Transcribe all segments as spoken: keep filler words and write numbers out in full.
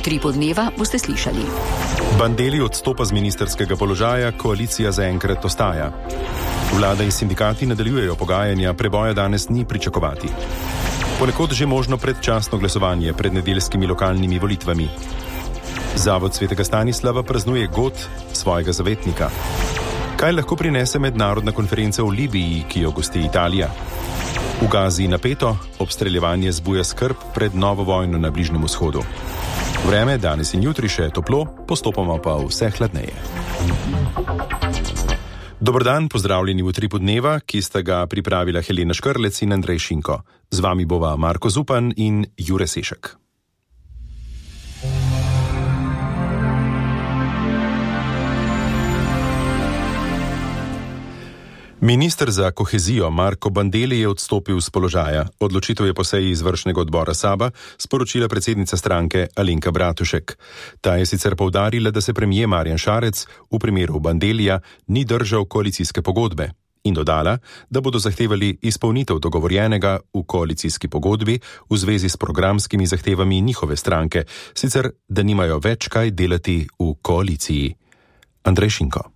Utripu dneva boste slišali. Bandelli odstopa z ministerskega položaja, koalicija zaenkrat ostaja. Vlada in sindikati nadaljujejo pogajanja, preboja danes ni pričakovati. Ponekod že možno predčasno glasovanje pred nedeljskimi lokalnimi volitvami. Zavod svetega Stanislava praznuje god svojega zavetnika. Kaj lahko prinese mednarodna konferenca v Libiji, ki jo gosti Italija? V Gazi napeto, obstreljevanje zbuja skrb pred novo vojno na Bližnjem vzhodu. Vreme danes in jutri še toplo, postopoma pa vse hladneje. Dober dan, pozdravljeni v Utripu dneva, ki sta ga pripravila Helena Škrlec in Andrej Šinko. Z vami bova Marko Zupan in Jure Sešek. Minister za kohezijo Marko Bandelli je odstopil z položaja. Odločitev je po seji izvršnega odbora Saba sporočila predsednica stranke Alenka Bratušek. Ta je sicer poudarila, da se premier Marjan Šarec v primeru Bandellija ni držal koalicijske pogodbe in dodala, da bodo zahtevali izpolnitev dogovorjenega v koalicijski pogodbi v zvezi s programskimi zahtevami njihove stranke, sicer da nimajo več kaj delati v koaliciji. Andrej Šinko.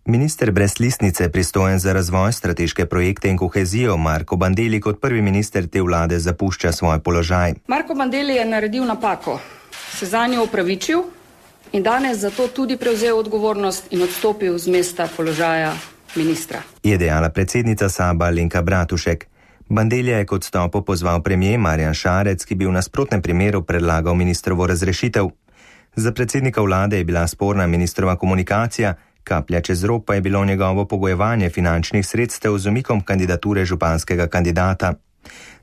Minister brez listnice, pristojen za razvoj, strateške projekte in kohezijo, Marko Bandelli kot prvi minister te vlade zapušča svoj položaj. Marko Bandelli je naredil napako, se zanjo opravičil in danes zato tudi prevzel odgovornost in odstopil z mesta položaja ministra. Je dejala predsednica Saba Alenka Bratušek. Bandellija je kot odstopu pozval premier Marjan Šarec, ki bi v nasprotnem primeru predlagal ministrovo razrešitev. Za predsednika vlade je bila sporna ministrova komunikacija, kaplja čez rob pa je bilo njegovo pogojevanje finančnih sredstev z umikom kandidature županskega kandidata.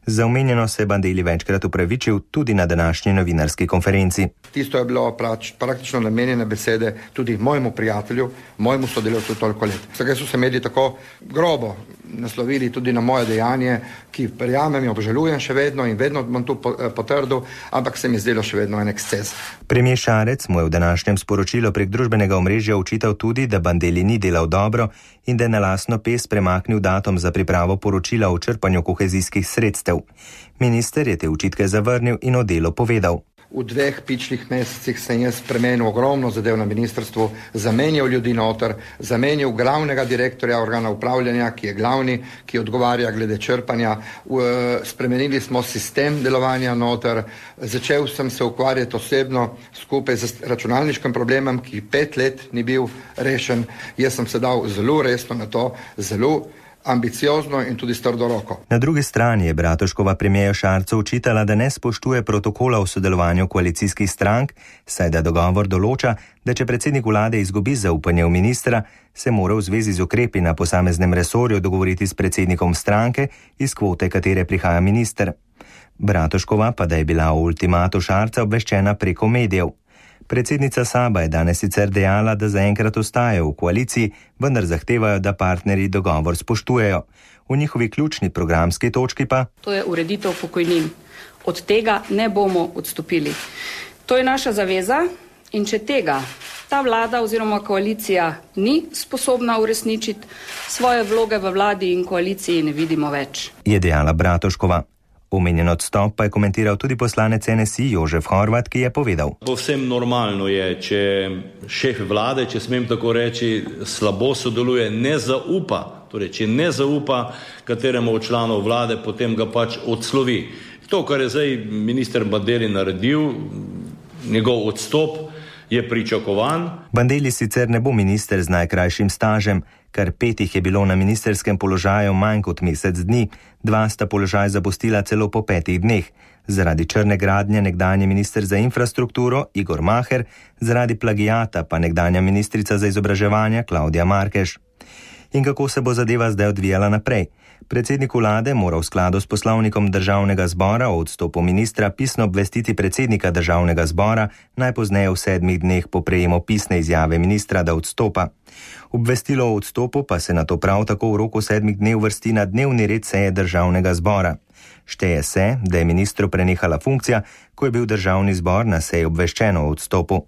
Za omenjeno se je Bandelli večkrat upravičil tudi na današnji novinarski konferenci. Tisto je bilo prač, praktično namenjene besede tudi mojemu prijatelju, mojemu sodelavcu toliko let. Vsega so se mediji tako grobo naslovili tudi na moje dejanje, ki verjamem in obžalujem še vedno in vedno bom tu potrdil, ampak se mi zdelo še vedno en eksces. Premier Šarec mu je v današnjem sporočilu prek družbenega omrežja očital tudi, da Bandelli ni delal dobro in da je na lastno pest premaknil datum za pripravo poročila o črpanju kohezijskih sredstev. Minister je te očitke zavrnil in o delu povedal. V dveh pičlih mesecih sem jaz spremenil ogromno zadev na ministrstvu, zamenjal ljudi noter, zamenjal glavnega direktorja organa upravljanja, ki je glavni, ki odgovarja glede črpanja. Spremenili smo sistem delovanja noter, začel sem se ukvarjati osebno skupaj z računalniškim problemom, ki pet let ni bil rešen. Jaz sem se dal zelo resno na to, zelo ambiciozno in tudi s trdo roko. Na drugi strani je Bratuškova premierju Šarcu očitala, da ne spoštuje protokola o sodelovanju koalicijskih strank, saj da dogovor določa, da če predsednik vlade izgubi zaupanje v ministra, se mora v zvezi z ukrepi na posameznem resorju dogovoriti s predsednikom stranke, iz kvote katere prihaja minister. Bratuškova pa da je bila o ultimatu Šarca obveščena preko medijev. Predsednica Saba je danes sicer dejala, da zaenkrat ostajajo v koaliciji, vendar zahtevajo, da partnerji dogovor spoštujejo. V njihovi ključni programski točki pa to je ureditev pokojnin. Od tega ne bomo odstopili. To je naša zaveza in če tega ta vlada oziroma koalicija ni sposobna uresničiti, svoje vloge v vladi in koaliciji ne vidimo več. Je dejala Bratuškova. Omenjen odstop pa je komentiral tudi poslanec N S I Jožef Horvat, ki je povedal. Povsem normalno je, če šef vlade, če smem tako reči, slabo sodeluje, ne zaupa, torej če ne zaupa kateremu od članov vlade, potem ga pač odslovi. To, kar je zdaj minister Bandelli naredil, njegov odstop je pričakovan. Bandelli sicer ne bo minister z najkrajšim stažem, kar petih je bilo na ministerskem položaju manj kot mesec dni, dva sta položaj zapustila celo po petih dneh. Zaradi črne gradnje nekdanji minister za infrastrukturo Igor Maher, zaradi plagijata pa nekdanja ministrica za izobraževanje Klaudija Markeš. In kako se bo zadeva zdaj odvijala naprej? Predsednik vlade mora v skladu s poslovnikom državnega zbora o odstopu ministra pisno obvestiti predsednika državnega zbora najpozneje v sedmih dneh po prejemu pisne izjave ministra, da odstopa. Obvestilo o odstopu pa se nato prav tako v roku sedmih dni uvrsti na dnevni red seje državnega zbora. Šteje se, da je ministru prenehala funkcija, ko je bil državni zbor na seji obveščen o odstopu.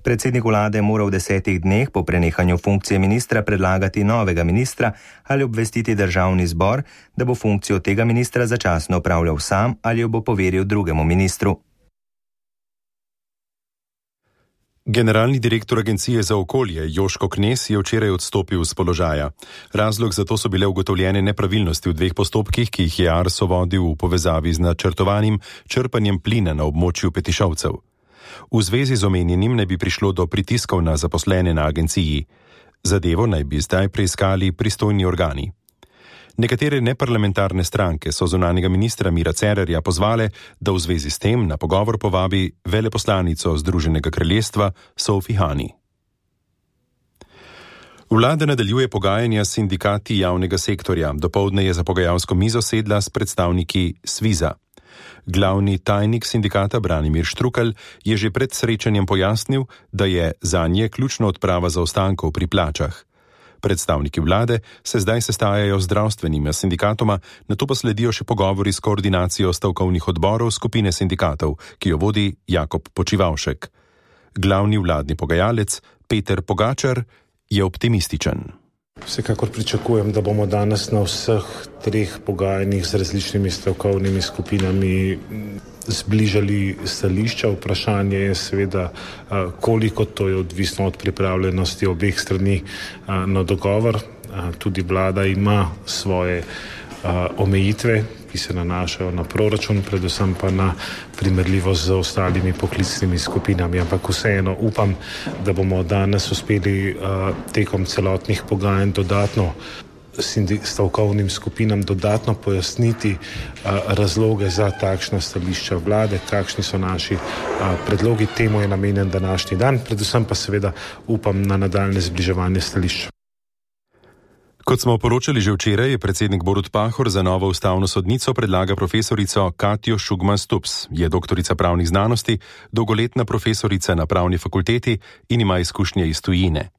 Predsednik vlade mora v desetih dneh po prenehanju funkcije ministra predlagati novega ministra ali obvestiti državni zbor, da bo funkcijo tega ministra začasno opravljal sam ali jo bo poveril drugemu ministru. Generalni direktor Agencije za okolje Joško Knez je včeraj odstopil z položaja. Razlog za to so bile ugotovljene nepravilnosti v dveh postopkih, ki jih je Arso vodil v povezavi z načrtovanim črpanjem plina na območju Petišovcev. V zvezi z omenjenim naj bi prišlo do pritiskov na zaposlene na agenciji. Zadevo naj bi zdaj preiskali pristojni organi. Nekatere neparlamentarne stranke so zunanjega ministra Mira Cerarja pozvale, da v zvezi s tem na pogovor povabi veleposlanico Združenega kraljestva Sophie Honey. Vlada nadaljuje pogajanja s sindikati javnega sektorja. Dopoldne je za pogajalsko mizo sedla s predstavniki Sviza. Glavni tajnik sindikata Branimir Štrukelj je že pred srečanjem pojasnil, da je zanje ključna odprava zaostankov pri plačah. Predstavniki vlade se zdaj sestajajo z zdravstvenimi sindikatoma, nato pa sledijo še pogovori s koordinacijo stavkovnih odborov skupine sindikatov, ki jo vodi Jakob Počivavšek. Glavni vladni pogajalec Peter Pogačar je optimističen. Vsekakor pričakujem, da bomo danes na vseh treh pogajanjih z različnimi stavkovnimi skupinami zbližali stališča. Vprašanje je seveda, koliko to je odvisno od pripravljenosti obeh strani na dogovor. Tudi vlada ima svoje omejitve, ki se nanašajo na proračun, predvsem pa na primerljivost z ostalimi poklicnimi skupinami. Ampak vseeno upam, da bomo danes uspeli tekom celotnih pogajanj dodatno stavkovnim skupinam dodatno pojasniti razloge za takšna stališča vlade, kakšni so naši predlogi. Temu je namenjen današnji dan, predvsem pa seveda upam na nadaljne zbliževanje stališč. Kot smo poročali že včeraj, je predsednik Borut Pahor za novo ustavno sodnico predlaga profesorico Katjo Šugman Stups. Je doktorica pravnih znanosti, dolgoletna profesorica na pravni fakulteti in ima izkušnje iz tujine.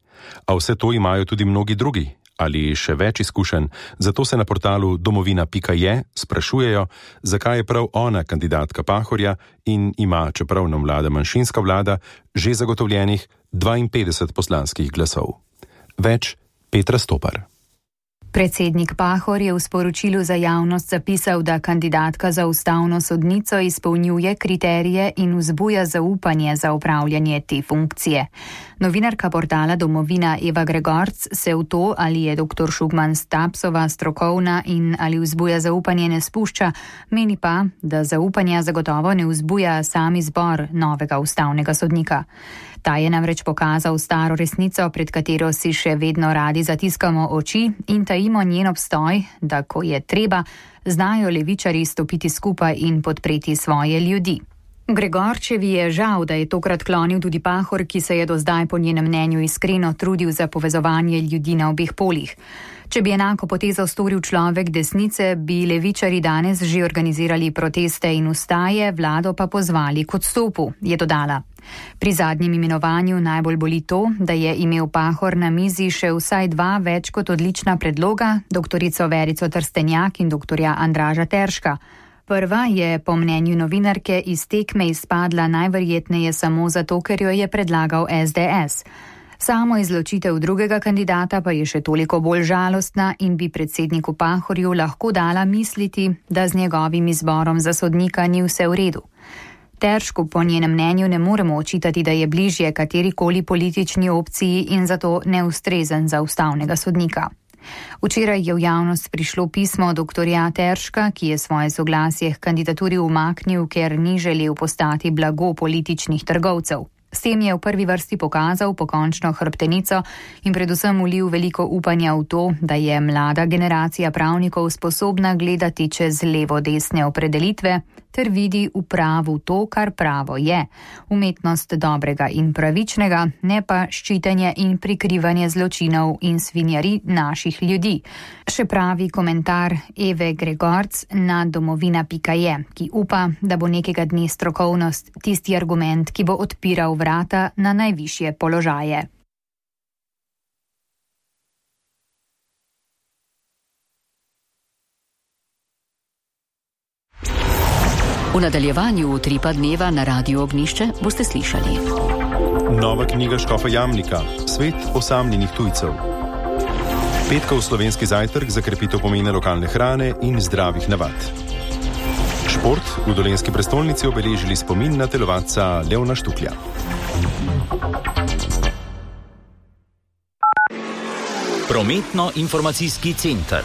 A vse to imajo tudi mnogi drugi ali še več izkušenj, zato se na portalu domovina pika je sprašujejo, zakaj je prav ona kandidatka Pahorja in ima, čeprav nam vlada manjšinska vlada, že zagotovljenih dvainpetdeset poslanskih glasov. Več Petra Stopar. Predsednik Pahor je v sporočilu za javnost zapisal, da kandidatka za ustavno sodnico izpolnjuje kriterije in vzbuja zaupanje za upravljanje te funkcije. Novinarka portala Domovina Eva Gregorc se v to, ali je dr. Šugman Stapsova strokovna in ali vzbuja zaupanje, ne spušča, meni pa, da zaupanja zagotovo ne vzbuja sam izbor novega ustavnega sodnika. Ta je namreč pokazal staro resnico, pred katero si še vedno radi zatiskamo oči in tajimo njen obstoj, da ko je treba, znajo levičarji stopiti skupaj in podpreti svoje ljudi. Gregorčevi je žal, da je tokrat klonil tudi Pahor, ki se je do zdaj po njenem mnenju iskreno trudil za povezovanje ljudi na obeh polih. Če bi enako potezo storil človek desnice, bi levičari danes že organizirali proteste in ustaje, vlado pa pozvali k odstopu, je dodala. Pri zadnjem imenovanju najbolj boli to, da je imel Pahor na mizi še vsaj dva več kot odlična predloga, doktorico Verico Trstenjak in doktorja Andraža Terška. Prva je po mnenju novinarke iz tekme izpadla najverjetneje samo zato, ker jo je predlagal es de es. Samo izločitev drugega kandidata pa je še toliko bolj žalostna in bi predsedniku Pahorju lahko dala misliti, da z njegovim izborom za sodnika ni vse v redu. Teršku po njenem mnenju ne moremo očitati, da je bližje katerikoli politični opciji in zato neustrezen za ustavnega sodnika. Včeraj je v javnost prišlo pismo doktorja Terška, ki je svoje soglasje k kandidaturi umaknil, ker ni želel postati blago političnih trgovcev. S tem je v prvi vrsti pokazal pokončno hrbtenico in predvsem vlil veliko upanja v to, da je mlada generacija pravnikov sposobna gledati čez levo-desne opredelitve ter vidi v pravu to, kar pravo je, umetnost dobrega in pravičnega, ne pa ščitenje in prikrivanje zločinov in svinjari naših ljudi. Še pravi komentar Eve Gregorc na domovina pika je, ki upa, da bo nekega dne strokovnost tisti argument, ki bo odpiral vrata na najvišje položaje. V nadaljevanju Utripa dneva na Radiu Ognjišče boste slišali. Nova knjiga Škofa Jamnika, Svet osamljenih tujcev. Petkov slovenski zajtrk za krepitev pomena lokalne hrane in zdravih navad. Šport v dolenjski prestolnici obeležili spomin na telovadca Leona Štuklja. Prometno-informacijski center.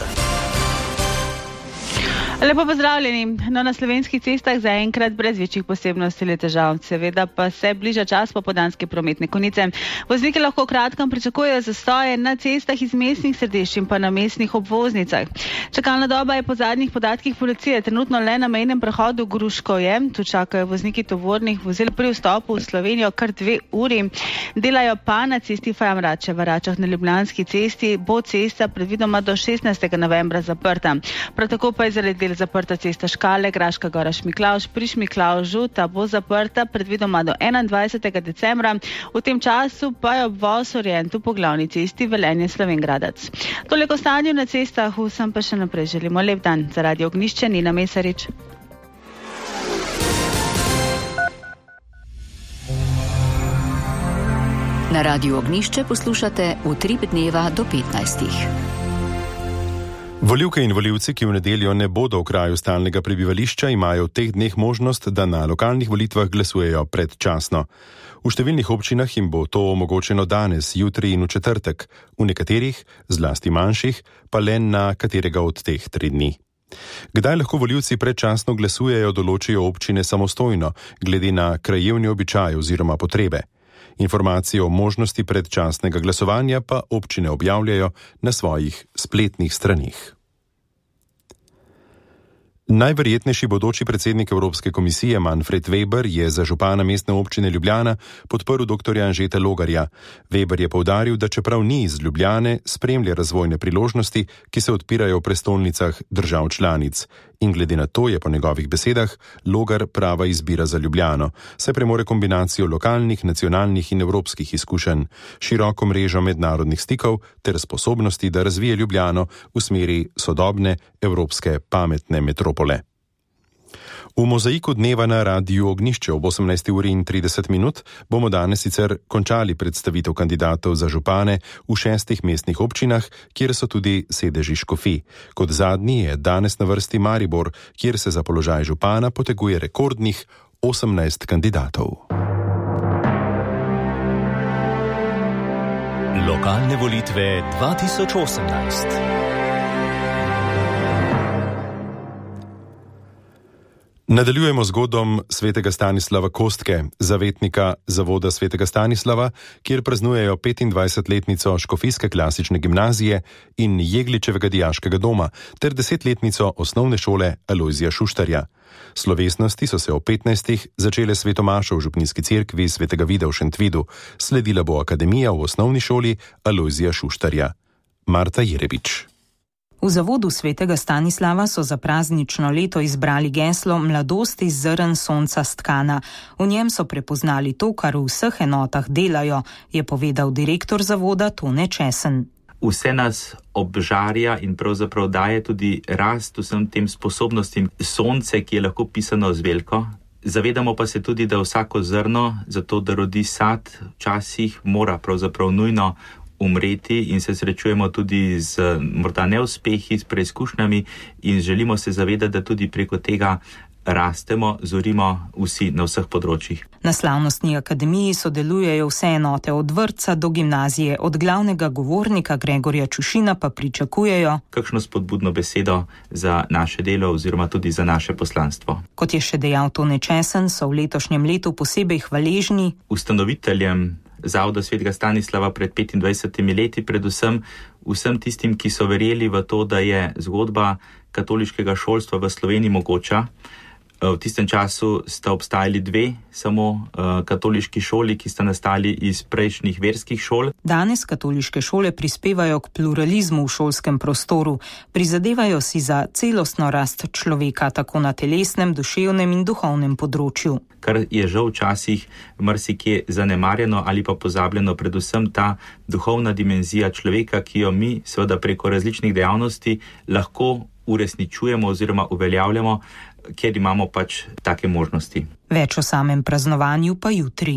Lepo pozdravljeni. No, na slovenskih cestah zaenkrat brez večjih posebnosti ali težav. Seveda pa se bliža čas popoldanske prometne konice. Vozniki lahko v kratkem pričakujejo zastoje na cestah iz mestnih središč in pa na mestnih obvoznicah. Čakalna doba je po zadnjih podatkih policije trenutno le na mejnem prehodu Gruškovje. Tu čakajo vozniki tovornih vozil pri vstopu v Slovenijo kar dve uri. Delajo pa na cesti Fajamrače v Račah na Ljubljanski cesti. Bo cesta predvidoma do šestnajstega novembra zaprta. Prav tako pa je zaradi zaprta cesta Škale, Graška Gora Šmiklavž, pri Šmiklavžu, ta bo zaprta predvidoma do enaindvajsetega decembra. V tem času pa je obvoz Orientu po glavni cesti Velenje Slovenj-Gradec. Toliko o stanju na cestah, vsem pa še naprej želimo lep dan. Za Radio Ognjišče Nina Mesarič. Na Radiu Ognjišče poslušate Utrip dneva do petnajstih. Volivke in volivci, ki v nedeljo ne bodo v kraju stalnega prebivališča, imajo v teh dneh možnost, da na lokalnih volitvah glasujejo predčasno. V številnih občinah jim bo to omogočeno danes, jutri in v četrtek, v nekaterih, zlasti manjših, pa le na katerega od teh tri dni. Kdaj lahko volivci predčasno glasujejo, določijo občine samostojno, glede na krajevni običaj oziroma potrebe. Informacije o možnosti predčasnega glasovanja pa občine objavljajo na svojih spletnih straneh. Najverjetnejši bodoči predsednik Evropske komisije Manfred Weber je za župana mestne občine Ljubljana podprl doktorja Anžeta Logarja. Weber je poudaril, da čeprav ni iz Ljubljane, spremlja razvojne priložnosti, ki se odpirajo v prestolnicah držav članic. In glede na to je po njegovih besedah Logar prava izbira za Ljubljano, saj premore kombinacijo lokalnih, nacionalnih in evropskih izkušenj, široko mrežo mednarodnih stikov ter sposobnosti, da razvije Ljubljano v smeri sodobne evropske pametne metropole. V mozaiku dneva na Radiu Ognjišče ob osemnajsti uri in trideset minut bomo danes sicer končali predstavitev kandidatov za župane v šestih mestnih občinah, kjer so tudi sedeži škofij. Kot zadnji je danes na vrsti Maribor, kjer se za položaj župana poteguje rekordnih osemnajst kandidatov. Lokalne volitve dva tisoč osemnajst. Nadaljujemo z godom svetega Stanislava Kostke, zavetnika Zavoda svetega Stanislava, kjer praznujejo petindvajsetletnico Škofijske klasične gimnazije in Jegličevega dijaškega doma ter desetletnico osnovne šole Alojzija Šuštarja. Slovesnosti so se o petnajstih začele svetomašo v župnijski cerkvi svetega Vida v Šentvidu, sledila bo akademija v osnovni šoli Alojzija Šuštarja. Marta Jerebič. V Zavodu svetega Stanislava so za praznično leto izbrali geslo Mladost iz zrn sonca stkana. V njem so prepoznali to, kar v vseh enotah delajo, je povedal direktor zavoda Tone Česen. Vse nas obžarja in pravzaprav daje tudi rast vsem tem sposobnostim sonce, ki je lahko pisano z veliko. Zavedamo pa se tudi, da vsako zrno, zato da rodi sad, včasih mora pravzaprav nujno umreti in se srečujemo tudi z morda neuspehi, s preizkušnjami in želimo se zavedati, da tudi preko tega rastemo, zorimo vsi na vseh področjih. Na slavnostni akademiji sodelujejo vse enote od vrtca do gimnazije, od glavnega govornika Gregorja Čušina pa pričakujejo kakšno spodbudno besedo za naše delo oziroma tudi za naše poslanstvo. Kot je še dejal Tone Česen, so v letošnjem letu posebej hvaležni ustanoviteljem Zavoda svetega Stanislava pred petindvajsetimi leti, predvsem vsem tistim, ki so verjeli v to, da je zgodba katoliškega šolstva v Sloveniji mogoča. V tistem času sta obstajali dve samo uh, katoliški šoli, ki sta nastali iz prejšnjih verskih šol. Danes katoliške šole prispevajo k pluralizmu v šolskem prostoru, prizadevajo si za celostno rast človeka, tako na telesnem, duševnem in duhovnem področju. Kar je žal včasih marsikje zanemarjeno ali pa pozabljeno, predvsem ta duhovna dimenzija človeka, ki jo mi seveda preko različnih dejavnosti lahko uresničujemo oziroma uveljavljamo, ker imamo pač take možnosti. Več o samem praznovanju pa jutri.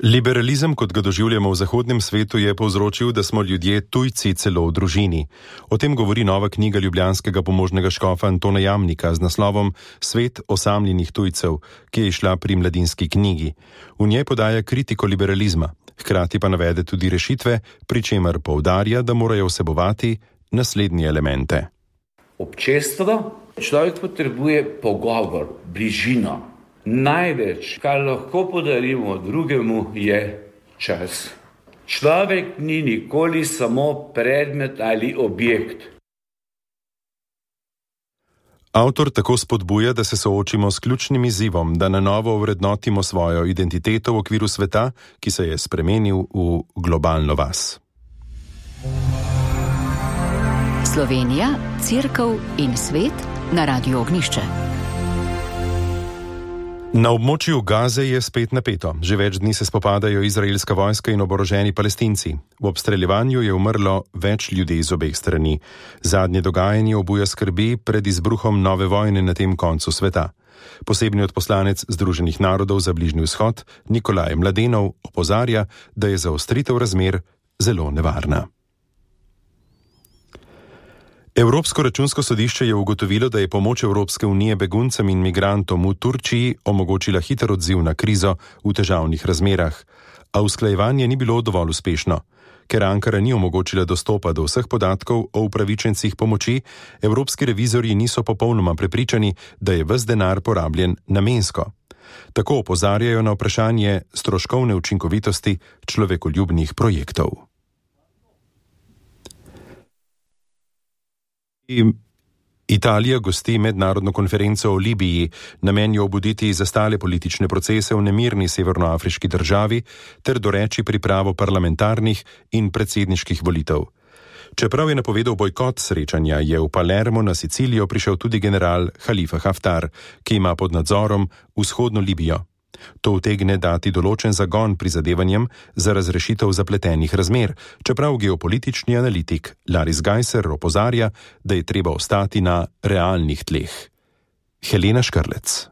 Liberalizem, kot ga doživljamo v zahodnem svetu, je povzročil, da smo ljudje tujci celo v družini. O tem govori nova knjiga ljubljanskega pomožnega škofa Antona Jamnika z naslovom Svet osamljenih tujcev, ki je izšla pri Mladinski knjigi. V njej podaja kritiko liberalizma, hkrati pa navede tudi rešitve, pri čemer poudarja, da morajo vsebovati naslednje elemente. Občestvo, človek potrebuje pogovor, bližino. Največ, kar lahko podarimo drugemu, je čas. Človek ni nikoli samo predmet ali objekt. Avtor tako spodbuja, da se soočimo s ključnim izzivom, da na novo ovrednotimo svojo identiteto v okviru sveta, ki se je spremenil v globalno vas. Slovenija, Cerkev in svet na Radiu Ognišče. Na območju Gaze je spet napeto. Že več dni se spopadajo izraelska vojska in oboroženi Palestinci. V obstreljevanju je umrlo več ljudi iz obeh strani. Zadnje dogajanje obuja skrbi pred izbruhom nove vojne na tem koncu sveta. Posebni odposlanec Združenih narodov za Bližnji vzhod, Nikolaj Mladenov, opozarja, da je zaostritev razmer zelo nevarna. Evropsko računsko sodišče je ugotovilo, da je pomoč Evropske unije beguncem in migrantom v Turčiji omogočila hiter odziv na krizo v težavnih razmerah, a usklajevanje ni bilo dovolj uspešno. Ker Ankara ni omogočila dostopa do vseh podatkov o upravičencih pomoči, evropski revizorji niso popolnoma prepričani, da je ves denar porabljen namensko. Tako opozarjajo na vprašanje stroškovne učinkovitosti človekoljubnih projektov. Italija gosti mednarodno konferenco o Libiji, namen je obuditi zastale politične procese v nemirni severnoafriški državi ter doreči pripravo parlamentarnih in predsedniških volitev. Čeprav je napovedal bojkot srečanja, je v Palermo na Sicilijo prišel tudi general Halifa Haftar, ki ima pod nadzorom vzhodno Libijo. To utegne dati določen zagon prizadevanjem za razrešitev zapletenih razmer, čeprav geopolitični analitik Laris Gajser opozarja, da je treba ostati na realnih tleh. Helena Škrlec.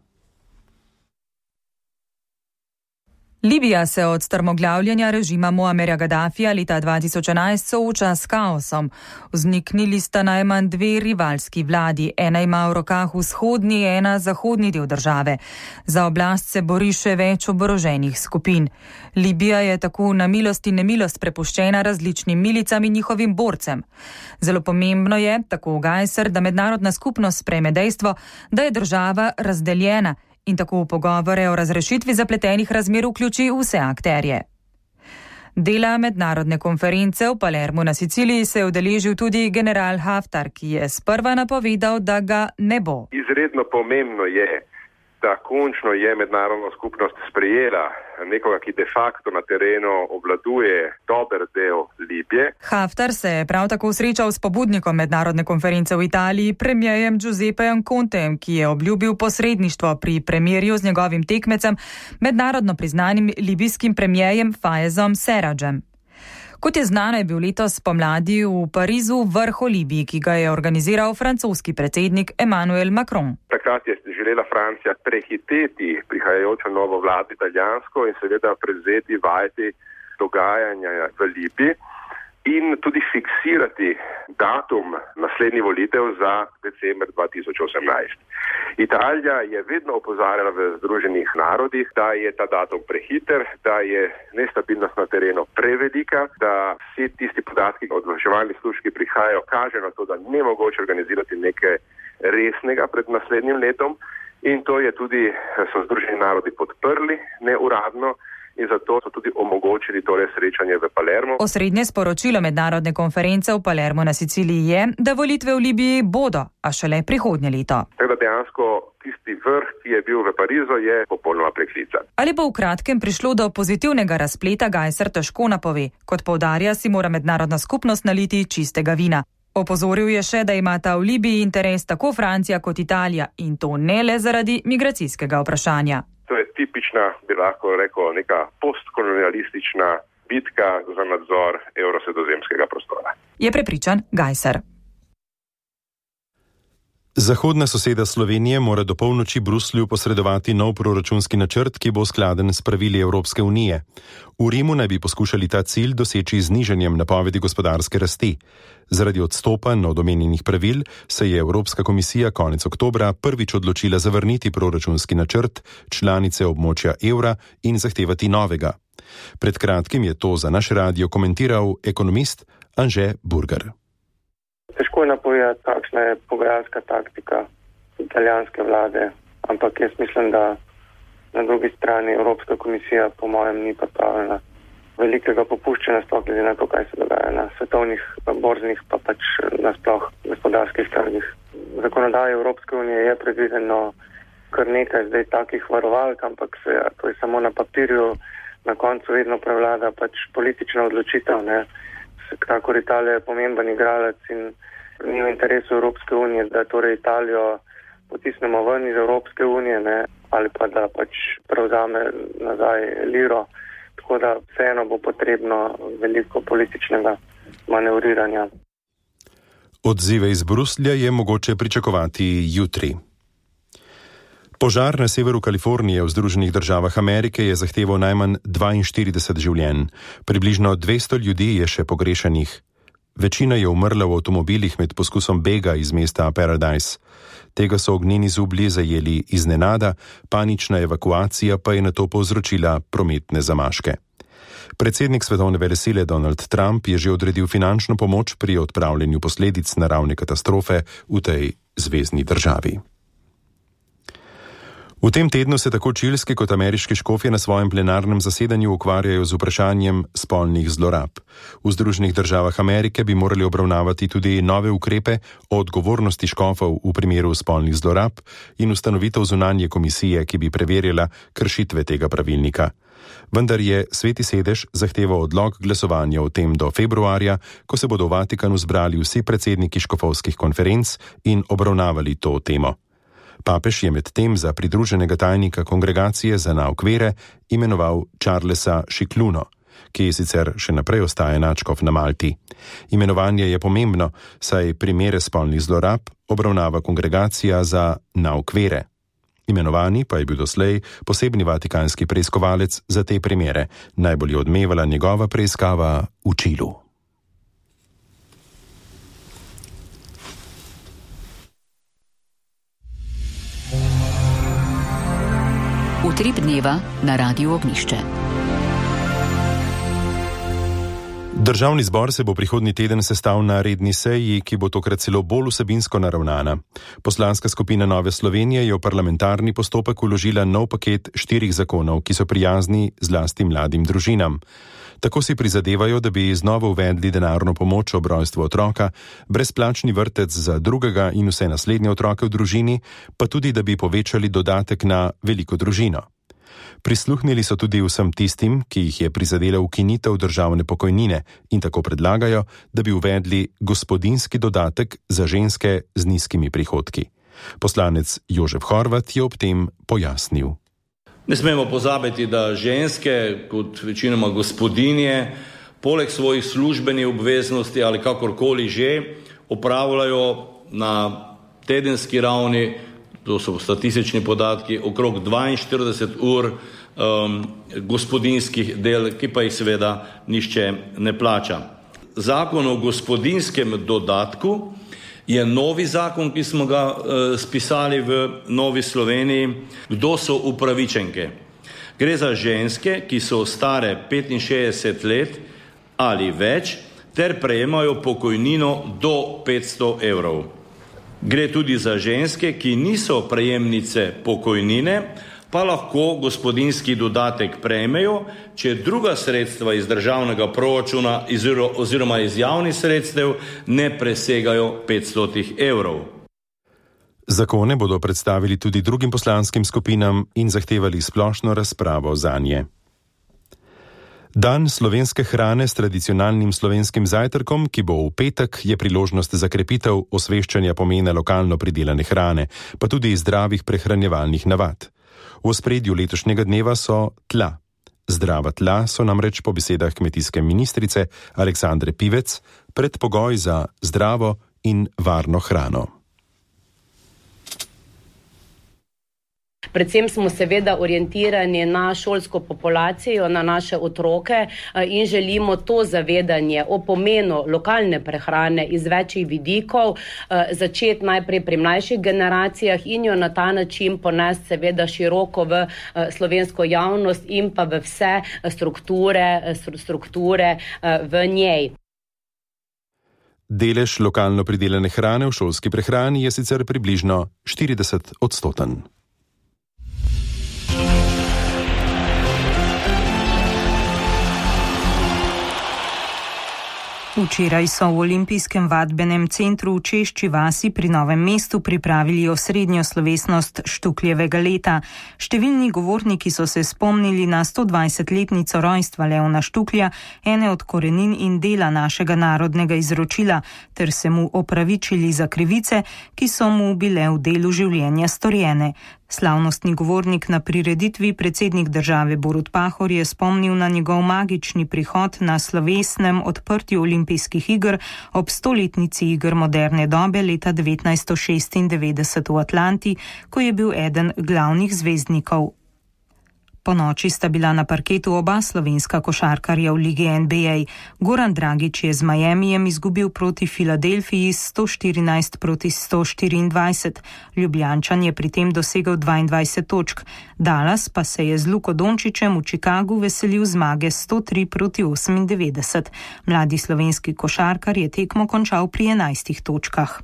Libija se od strmoglavljanja režima Muammerja Gaddafija leta dva tisoč enajst sooča s kaosom. Vzniknili sta najmanj dve rivalski vladi, ena ima v rokah vzhodni, ena zahodni del države. Za oblast se bori še več oboroženih skupin. Libija je tako na milost in nemilost prepuščena različnim milicam in njihovim borcem. Zelo pomembno je, tako Gajser, da mednarodna skupnost sprejme dejstvo, da je država razdeljena in tako v pogovore o razrešitvi zapletenih razmer vključi vse akterje. Dela mednarodne konference v Palermu na Siciliji se je udeležil tudi general Haftar, ki je sprva napovedal, da ga ne bo. Izredno pomembno je, da končno je mednarodna skupnost sprejela nekoga, ki de facto na terenu obvladuje dober del Libije. Haftar se je prav tako srečal s pobudnikom mednarodne konference v Italiji, premierjem Giuseppejem Contejem, ki je obljubil posredništvo pri premirju z njegovim tekmecem, mednarodno priznanim libijskim premierjem Fayezom Serrajem. Kot je znano, je bil letos pomladi v Parizu vrh o Libiji, ki ga je organiziral francoski predsednik Emmanuel Macron. Takrat je želela Francija prehiteti prihajajočo novo vlado italijansko in seveda prevzeti vajeti dogajanja v Libiji in tudi fiksirati datum naslednjih volitev za december dva tisoč osemnajst. Italija je vedno opozarjala v Združenih narodih, da je ta datum prehiter, da je nestabilnost na terenu prevelika, da vsi tisti podatki od obveščevalnih služb, ki prihajajo, kaže na to, da ni mogoče organizirati nekaj resnega pred naslednjim letom in to je tudi so Združeni narodi podprli neuradno. In zato so tudi omogočili tole srečanje v Palermo. Osrednje sporočilo mednarodne konference v Palermo na Siciliji je, da volitve v Libiji bodo, a šele prihodnje leto. Tako da dejansko tisti vrh, ki je bil v Parizu, je popolnoma preklican. Ali bo v kratkem prišlo do pozitivnega razpleta, Gajser težko napove. Kot poudarja, si mora mednarodna skupnost naliti čistega vina. Opozoril je še, da imata v Libiji interes tako Francija kot Italija in to ne le zaradi migracijskega vprašanja. To je tipična, bi lahko rekel, neka postkolonialistična bitka za nadzor evrosredozemskega prostora. Je prepričan Gajser. Zahodna soseda Slovenije mora do polnoči Bruslju posredovati nov proračunski načrt, ki bo skladen s pravili Evropske unije. V Rimu naj bi poskušali ta cilj doseči z nižanjem napovedi gospodarske rasti. Zaradi odstopanj od omenjenih pravil se je Evropska komisija konec oktobra prvič odločila zavrniti proračunski načrt članice območja evra in zahtevati novega. Pred kratkim je to za naš radio komentiral ekonomist Anže Burger. Težko je napovedati, kakšna je pogajalska taktika italijanske vlade, ampak jaz mislim, da na drugi strani Evropska komisija po mojem ni pripravljena velikega popuščanja, sploh glede na to, kaj se dogaja na svetovnih borznih pa pač nasploh gospodarskih trgih. V zakonodaji Evropske unije je predvideno kar nekaj zdaj takih varovalk, ampak se, to je samo na papirju, na koncu vedno prevlada pač politična odločitev, ne. Kakor Italija je pomemben igralec in ni v interesu Evropske unije, da torej Italijo potisnemo ven iz Evropske unije, ne, ali pa da pač prevzame nazaj liro. Tako da vseeno bo potrebno veliko političnega manevriranja. Odzive iz Bruslja je mogoče pričakovati jutri. Požar na severu Kalifornije v Združenih državah Amerike je zahteval najmanj dvainštirideset življenj. Približno dvesto ljudi je še pogrešanih. Večina je umrla v avtomobilih med poskusom bega iz mesta Paradise. Tega so ognjeni zublji zajeli iznenada, panična evakuacija pa je nato povzročila prometne zamaške. Predsednik svetovne velesile Donald Trump je že odredil finančno pomoč pri odpravljanju posledic naravne katastrofe v tej zvezni državi. V tem tednu se tako čilski kot ameriški škofje na svojem plenarnem zasedanju ukvarjajo z vprašanjem spolnih zlorab. V Združenih državah Amerike bi morali obravnavati tudi nove ukrepe o odgovornosti škofov v primeru spolnih zlorab in ustanovitev zunanje komisije, ki bi preverjala kršitve tega pravilnika. Vendar je Sveti sedež zahteval odlog glasovanja o tem do februarja, ko se bodo v Vatikanu zbrali vsi predsedniki škofovskih konferenc in obravnavali to temo. Papež je med tem za pridruženega tajnika kongregacije za nauk vere imenoval Charlesa Šikluno, ki sicer še naprej ostaja nadškof na Malti. Imenovanje je pomembno, saj primere spolnih zlorab obravnava kongregacija za nauk vere. Imenovani pa je bil doslej posebni vatikanski preiskovalec za te primere. Najbolj je odmevala njegova preiskava v Čilu. Utrip dneva na Radiu Ognjišče. Državni zbor se bo prihodnji teden sestal na redni seji, ki bo tokrat celo bolj vsebinsko naravnana. Poslanska skupina Nove Slovenije je v parlamentarni postopek vložila nov paket štirih zakonov, ki so prijazni zlasti mladim družinam. Tako si prizadevajo, da bi znova uvedli denarno pomoč ob rojstvu otroka, brezplačni vrtec za drugega in vse naslednje otroke v družini, pa tudi, da bi povečali dodatek na veliko družino. Prisluhnili so tudi vsem tistim, ki jih je prizadela ukinitev državne pokojnine in tako predlagajo, da bi uvedli gospodinjski dodatek za ženske z nizkimi prihodki. Poslanec Jožef Horvat je ob tem pojasnil. Ne smemo pozabiti, da ženske, kot večinoma gospodinje, poleg svojih službenih obveznosti ali kakorkoli že, opravljajo na tedenski ravni, to so statistični podatki, okrog dvainštirideset ur um, gospodinjskih del, ki pa jih seveda nišče ne plača. Zakon o gospodinjskem dodatku je novi zakon, ki smo ga uh, spisali v Novi Sloveniji. Kdo so upravičenke? Gre za ženske, ki so stare petinšestdeset let ali več, ter prejemajo pokojnino do petsto evrov. Gre tudi za ženske, ki niso prejemnice pokojnine, pa lahko gospodinjski dodatek prejmejo, če druga sredstva iz državnega proračuna oziroma iz javnih sredstev ne presegajo petsto evrov. Zakone bodo predstavili tudi drugim poslanskim skupinam in zahtevali splošno razpravo zanje. Dan slovenske hrane s tradicionalnim slovenskim zajtrkom, ki bo v petek, je priložnost za krepitev osveščanja pomena lokalno pridelane hrane, pa tudi zdravih prehranjevalnih navad. V ospredju letošnjega dneva so tla. Zdrava tla so namreč po besedah kmetijske ministrice Aleksandre Pivec predpogoj za zdravo in varno hrano. Predvsem smo seveda orientirani na šolsko populacijo, na naše otroke in želimo to zavedanje o pomenu lokalne prehrane iz večjih vidikov začeti najprej pri mlajših generacijah in jo na ta način ponesti seveda široko v slovensko javnost in pa v vse strukture, strukture v njej. Delež lokalno pridelane hrane v šolski prehrani je sicer približno štirideset odstoten. Včeraj so v Olimpijskem vadbenem centru v Češči vasi pri Novem mestu pripravili osrednjo slovesnost Štukljevega leta. Številni govorniki so se spomnili na stodvajsetletnico rojstva Leona Štuklja, ene od korenin in dela našega narodnega izročila, ter se mu opravičili za krivice, ki so mu bile v delu življenja storjene. Slavnostni govornik na prireditvi, predsednik države Borut Pahor, je spomnil na njegov magični prihod na slovesnem odprtju olimpijskih iger ob stoletnici iger moderne dobe leta devetnajststo šestindevetdeset v Atlanti, ko je bil eden glavnih zvezdnikov. Po noči sta bila na parketu oba slovenska košarkarja v ligi N B A. Goran Dragić je z Miamijem izgubil proti Filadelfiji sto štirinajst proti sto štiriindvajset. Ljubljančan je pri tem dosegel dvaindvajset točk. Dallas pa se je z Luko Dončićem v Chicagu veselil zmage sto tri proti osemindevetdeset. Mladi slovenski košarkar je tekmo končal pri enajstih točkah.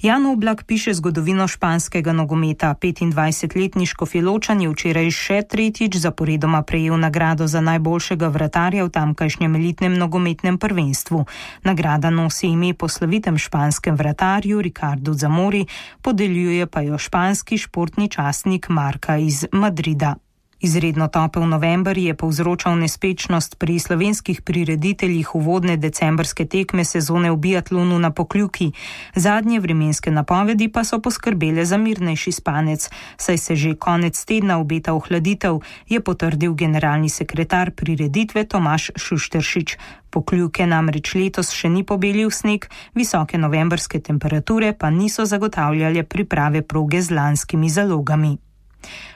Jan Oblak piše zgodovino španskega nogometa. petindvajsetletni Škofjeločan je včeraj še tretjič zaporedoma prejel nagrado za najboljšega vratarja v tamkajšnjem elitnem nogometnem prvenstvu. Nagrada nosi ime po slovitem španskem vratarju Ricardu Zamori, podeljuje pa jo španski športni časnik Marca iz Madrida. Izredno topel november je povzročal nespečnost pri slovenskih prirediteljih uvodne decembrske tekme sezone v biatlonu na Pokljuki. Zadnje vremenske napovedi pa so poskrbele za mirnejši spanec, saj se že konec tedna obeta ohladitev, je potrdil generalni sekretar prireditve Tomaž Šušteršič. Pokljuke namreč letos še ni pobelil sneg, visoke novembrske temperature pa niso zagotavljale priprave proge z lanskimi zalogami.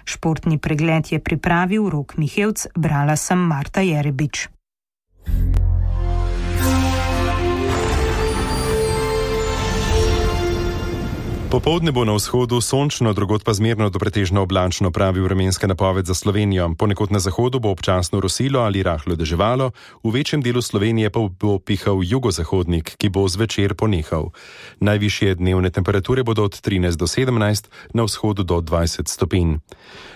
Športni pregled je pripravil Rok Mihevc, brala sem Marta Jerebič. Popoldne bo na vzhodu sončno, drugod pa zmerno do pretežno oblačno, pravi vremenska napoved za Slovenijo. Ponekod na zahodu bo občasno rosilo ali rahlo deževalo, v večjem delu Slovenije pa bo pihal jugozahodnik, ki bo zvečer ponehal. Najvišje dnevne temperature bodo od trinajst do sedemnajst, na vzhodu do dvajset stopinj.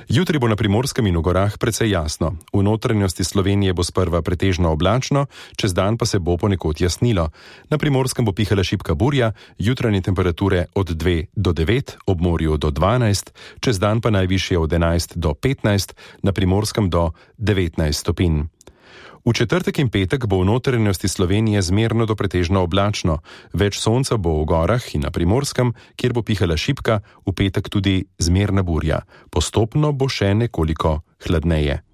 Jutri bo na Primorskem in v gorah precej jasno. V notranjosti Slovenije bo sprva pretežno oblačno, čez dan pa se bo ponekod jasnilo. Na Primorskem bo pihala šibka burja, jutranje temperature od dve do devet, ob morju do dvanajst, čez dan pa najvišje od enajst do petnajst, na Primorskem do devetnajst stopinj. V četrtek in petek bo v notranjosti Slovenije zmerno do pretežno oblačno, več sonca bo v gorah in na Primorskem, kjer bo pihala šibka, v petek tudi zmerna burja. Postopno bo še nekoliko hladneje.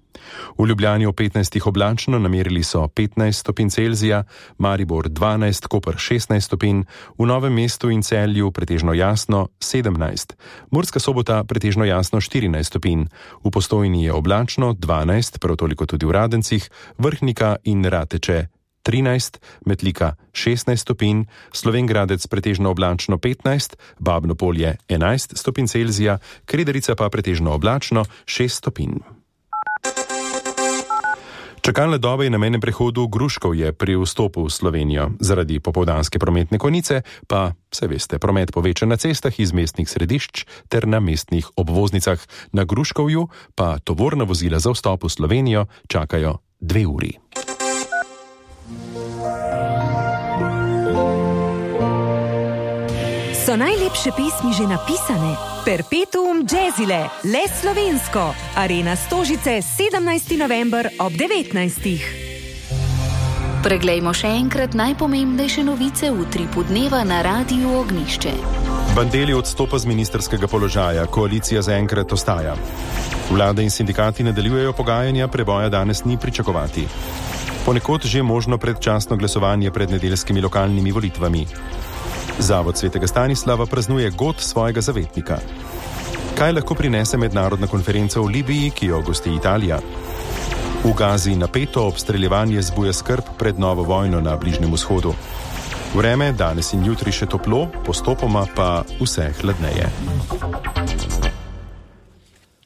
V Ljubljani ob petnajstih oblačno, namerili so petnajst stopinj Celzija, Maribor dvanajst, Koper šestnajst stopinj, v Novem mestu in Celju pretežno jasno sedemnajst, Murska Sobota pretežno jasno štirinajst stopinj, v Postojni je oblačno dvanajst, prav toliko tudi v Radencih, Vrhnika in Rateče trinajst, Metlika šestnajst stopinj, Slovenj Gradec pretežno oblačno petnajst, Babno Polje enajst stopinj Celzija, Krederica pa pretežno oblačno šest stopinj. Čakalna doba je na mejnem prehodu Gruškovje pri vstopu v Slovenijo. Zaradi popoldanske prometne konice pa, se veste, promet poveča na cestah iz mestnih središč ter na mestnih obvoznicah. Na Gruškovju pa tovorna vozila za vstop v Slovenijo čakajo dve uri. So najlepše pesmi že napisane? Perpetuum jazzile, le slovensko. Arena Stožice, sedemnajsti november ob devetnajstih. Preglejmo še enkrat najpomembnejše novice v utripu dneva na Radiu Ognišče. Bandelli odstopa z ministerskega položaja, koalicija zaenkrat ostaja. Vlada in sindikati nadaljujejo pogajanja, preboja danes ni pričakovati. Ponekod že možno predčasno glasovanje pred nedeljskimi lokalnimi volitvami. Zavod svetega Stanislava praznuje god svojega zavetnika. Kaj lahko prinese mednarodna konferenca v Libiji, ki jo gosti Italija? V Gazi napeto obstreljevanje zbuja skrb pred novo vojno na Bližnjem vzhodu. Vreme danes in jutri še toplo, postopoma pa vse hladneje.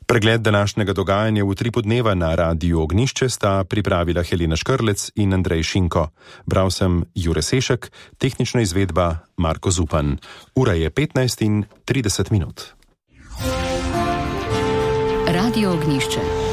Pregled današnjega dogajanja v Utripu dneva na Radiu Ognjišče sta pripravila Helena Škrlec in Andrej Šinko. Bral sem Jure Sešek, tehnična izvedba Marko Zupan. Ura je petnajst in trideset minut. Radio Ognjišče.